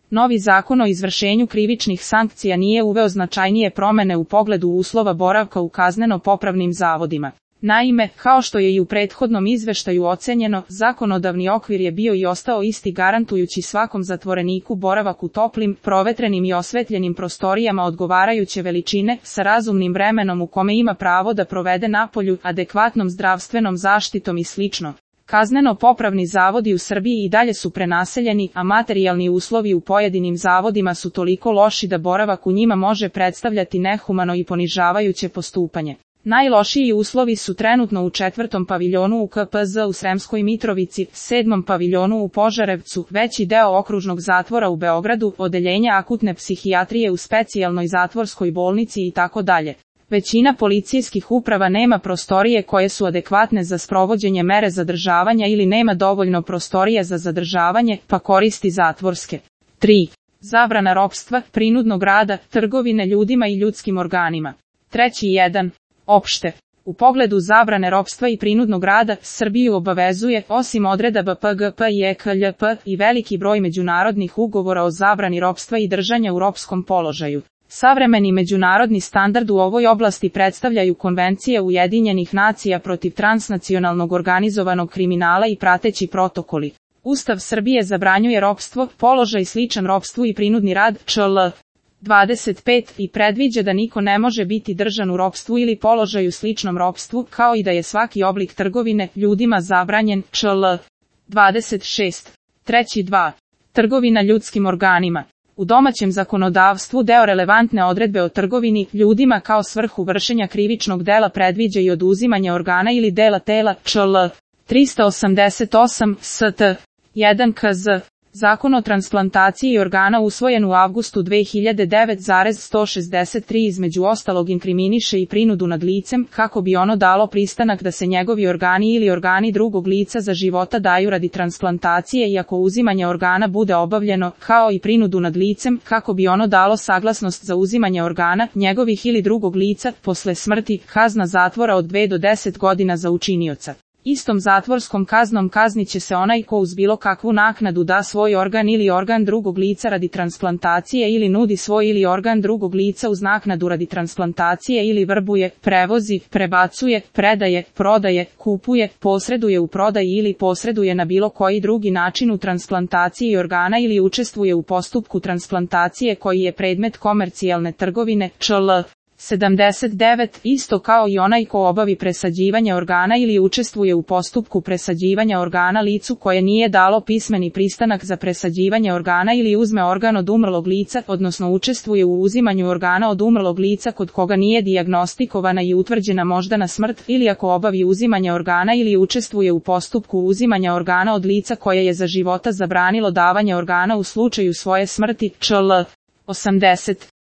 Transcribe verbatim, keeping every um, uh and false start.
Novi zakon o izvršenju krivičnih sankcija nije uveo značajnije promene u pogledu uslova boravka u kazneno-popravnim zavodima. Naime, kao što je i u prethodnom izveštaju ocenjeno, zakonodavni okvir je bio i ostao isti, garantujući svakom zatvoreniku boravak u toplim, provetrenim i osvetljenim prostorijama odgovarajuće veličine, sa razumnim vremenom u kome ima pravo da provede napolju, adekvatnom zdravstvenom zaštitom i slično. Kazneno-popravni zavodi u Srbiji i dalje su prenaseljeni, a materijalni uslovi u pojedinim zavodima su toliko loši da boravak u njima može predstavljati nehumano i ponižavajuće postupanje. Najlošiji uslovi su trenutno u četvrtom paviljonu u K P Z u Sremskoj Mitrovici, sedmom paviljonu u Požarevcu, veći deo okružnog zatvora u Beogradu, odeljenja akutne psihijatrije u specijalnoj zatvorskoj bolnici itd. Većina policijskih uprava nema prostorije koje su adekvatne za sprovođenje mere zadržavanja ili nema dovoljno prostorije za zadržavanje, pa koristi zatvorske. tri. Zabrana ropstva, prinudnog rada, trgovine ljudima i ljudskim organima. Treći jedan. Opšte. U pogledu zabrane ropstva i prinudnog rada, Srbiju obavezuje, osim odredaba P G P i E K L P, i veliki broj međunarodnih ugovora o zabrani ropstva i držanja u ropskom položaju. Savremeni međunarodni standard u ovoj oblasti predstavljaju Konvencije Ujedinjenih nacija protiv transnacionalnog organizovanog kriminala i prateći protokoli. Ustav Srbije zabranjuje ropstvo, položaj sličan ropstvu i prinudni rad, čl. dvadeset pet, i predviđa da niko ne može biti držan u ropstvu ili položaju sličnom ropstvu, kao i da je svaki oblik trgovine ljudima zabranjen, čl. dvadeset šest. Treći dva. Trgovina ljudskim organima. U domaćem zakonodavstvu deo relevantne odredbe o trgovini ljudima kao svrhu vršenja krivičnog dela predviđa i oduzimanje organa ili dela tela, čl. tristo osamdeset osam, S T jedan K Z. Zakon o transplantaciji organa usvojen u avgustu dve hiljade devete sto šezdeset tri između ostalog inkriminiše i prinudu nad licem, kako bi ono dalo pristanak da se njegovi organi ili organi drugog lica za života daju radi transplantacije i ako uzimanje organa bude obavljeno, kao i prinudu nad licem, kako bi ono dalo saglasnost za uzimanje organa, njegovih ili drugog lica, posle smrti, kazna zatvora od dve do deset godina za učinioca. Istom zatvorskom kaznom kazniće se onaj ko uz bilo kakvu naknadu da svoj organ ili organ drugog lica radi transplantacije ili nudi svoj ili organ drugog lica uz naknadu radi transplantacije ili vrbuje, prevozi, prebacuje, predaje, prodaje, kupuje, posreduje u prodaji ili posreduje na bilo koji drugi način u transplantaciji organa ili učestvuje u postupku transplantacije koji je predmet komercijalne trgovine, čl. sedamdeset devet, isto kao i onaj ko obavi presađivanje organa ili učestvuje u postupku presađivanja organa licu koje nije dalo pismeni pristanak za presađivanje organa ili uzme organ od umrlog lica, odnosno učestvuje u uzimanju organa od umrlog lica kod koga nije dijagnostikovana i utvrđena moždana smrt, ili ako obavi uzimanje organa ili učestvuje u postupku uzimanja organa od lica koje je za života zabranilo davanje organa u slučaju svoje smrti, čl. osamdeset.